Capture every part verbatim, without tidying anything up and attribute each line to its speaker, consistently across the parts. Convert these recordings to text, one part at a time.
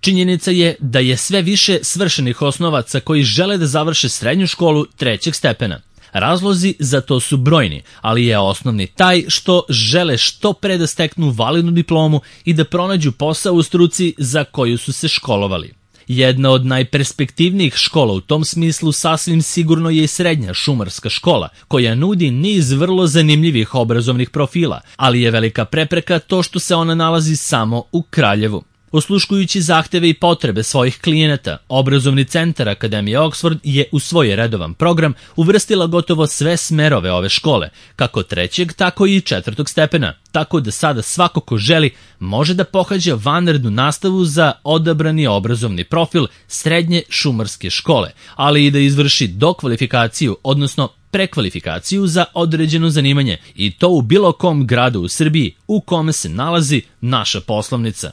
Speaker 1: Činjenica je da je sve više svršenih osnovaca koji žele da završe srednju školu trećeg stepena. Razlozi za to su brojni, ali je osnovni taj što žele što pre da steknu validnu diplomu i da pronađu posao u struci za koju su se školovali. Jedna od najperspektivnijih škola u tom smislu sasvim sigurno je i srednja šumarska škola, koja nudi niz vrlo zanimljivih obrazovnih profila, ali je velika prepreka to što se ona nalazi samo u Kraljevu. Osluškujući zahteve i potrebe svojih klijenata, obrazovni centar Akademije Oxford je u svoj redovan program uvrstila gotovo sve smerove ove škole, kako trećeg, tako i četvrtog stepena, tako da sada svako ko želi može da pohađa vanrednu nastavu za odabrani obrazovni profil srednje šumarske škole, ali i da izvrši dokvalifikaciju, odnosno prekvalifikaciju za određeno zanimanje, i to u bilo kom gradu u Srbiji u kome se nalazi naša poslovnica.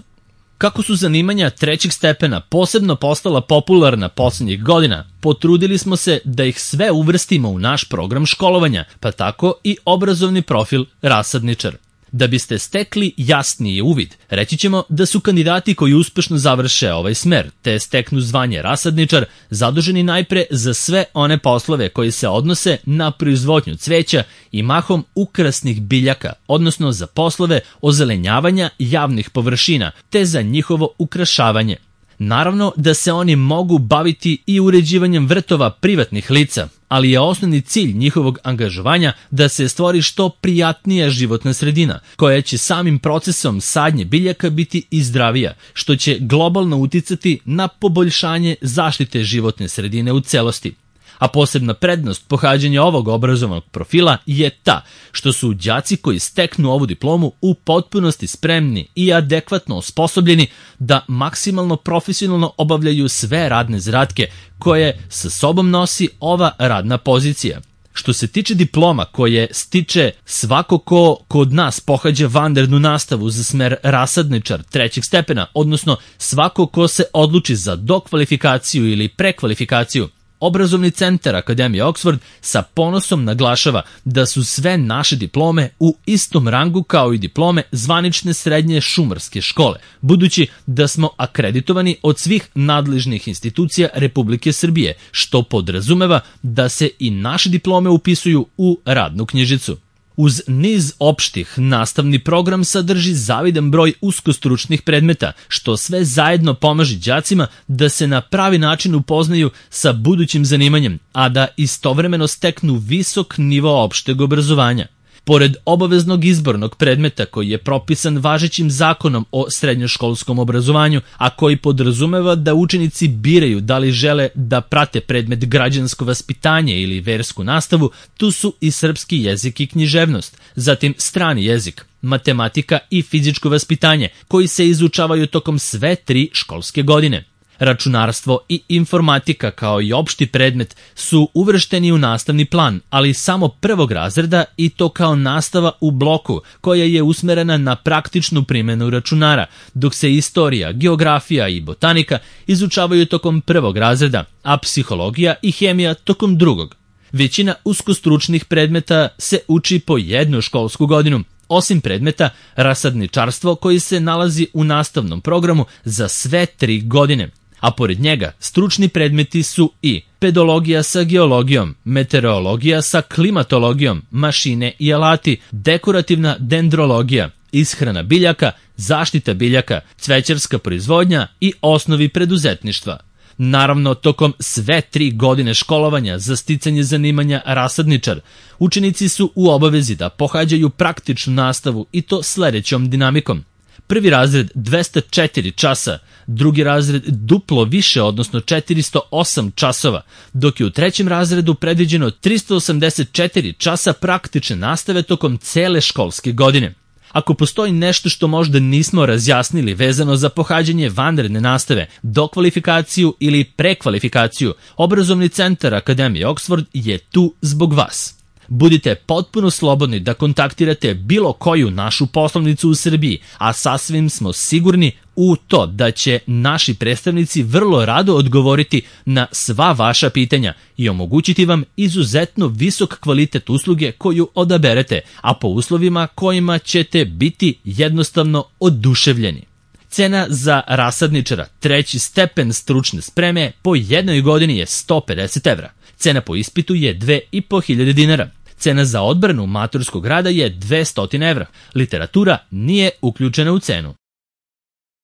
Speaker 1: Kako su zanimanja trećeg stepena posebno postala popularna poslednjih godina, potrudili smo se da ih sve uvrstimo u naš program školovanja, pa tako i obrazovni profil rasadničar. Da biste stekli jasniji uvid, reći ćemo da su kandidati koji uspešno završe ovaj smer, te steknu zvanje rasadničar, zaduženi najpre za sve one poslove koji se odnose na proizvodnju cveća i mahom ukrasnih biljaka, odnosno za poslove ozelenjavanja javnih površina, te za njihovo ukrašavanje. Naravno da se oni mogu baviti i uređivanjem vrtova privatnih lica, ali je osnovni cilj njihovog angažovanja da se stvori što prijatnija životna sredina, koja će samim procesom sadnje biljaka biti i zdravija, što će globalno uticati na poboljšanje zaštite životne sredine u celosti. A posebna prednost pohađanja ovog obrazovnog profila je ta što su đaci koji steknu ovu diplomu u potpunosti spremni i adekvatno osposobljeni da maksimalno profesionalno obavljaju sve radne zadatke koje sa sobom nosi ova radna pozicija. Što se tiče diploma koje stiče svako ko kod nas pohađa vanrednu nastavu za smer rasadničar trećeg stepena, odnosno svako ko se odluči za dokvalifikaciju ili prekvalifikaciju, Obrazovni centar Akademije Oxford sa ponosom naglašava da su sve naše diplome u istom rangu kao i diplome zvanične srednje šumarske škole, budući da smo akreditovani od svih nadležnih institucija Republike Srbije, što podrazumeva da se i naše diplome upisuju u radnu knjižicu. Uz niz opštih, nastavni program sadrži zavidan broj uskostručnih predmeta, što sve zajedno pomaže đacima da se na pravi način upoznaju sa budućim zanimanjem, a da istovremeno steknu visok nivo opšteg obrazovanja. Pored obaveznog izbornog predmeta koji je propisan važećim zakonom o srednjoškolskom obrazovanju, a koji podrazumeva da učenici biraju da li žele da prate predmet građansko vaspitanje ili versku nastavu, tu su i srpski jezik i književnost, zatim strani jezik, matematika i fizičko vaspitanje, koji se izučavaju tokom sve tri školske godine. Računarstvo i informatika kao i opšti predmet su uvršteni u nastavni plan, ali samo prvog razreda i to kao nastava u bloku koja je usmerena na praktičnu primjenu računara, dok se istorija, geografija i botanika izučavaju tokom prvog razreda, a psihologija i hemija tokom drugog. Većina uskostručnih predmeta se uči po jednu školsku godinu, osim predmeta rasadničarstvo koji se nalazi u nastavnom programu za sve tri godine. A pored njega stručni predmeti su i pedologija sa geologijom, meteorologija sa klimatologijom, mašine i alati, dekorativna dendrologija, ishrana biljaka, zaštita biljaka, cvećarska proizvodnja i osnovi preduzetništva. Naravno, tokom sve tri godine školovanja za sticanje zanimanja rasadničar, učenici su u obavezi da pohađaju praktičnu nastavu i to sledećom dinamikom. Prvi razred dvesta četiri časa, drugi razred duplo više, odnosno četiristo osam časova, dok je u trećem razredu predviđeno tristo osamdeset četiri časa praktične nastave tokom cele školske godine. Ako postoji nešto što možda nismo razjasnili vezano za pohađanje vanredne nastave, dokvalifikaciju ili prekvalifikaciju, Obrazovni centar Akademije Oxford je tu zbog vas. Budite potpuno slobodni da kontaktirate bilo koju našu poslovnicu u Srbiji, a sasvim smo sigurni u to da će naši predstavnici vrlo rado odgovoriti na sva vaša pitanja i omogućiti vam izuzetno visok kvalitet usluge koju odaberete, a po uslovima kojima ćete biti jednostavno oduševljeni. Cena za rasadničara treći stepen stručne spreme po jednoj godini je sto pedeset evra. Cena po ispitu je dve i po hiljade dinara. Cena za odbranu maturskog rada je dvesta evra. Literatura nije uključena u cenu.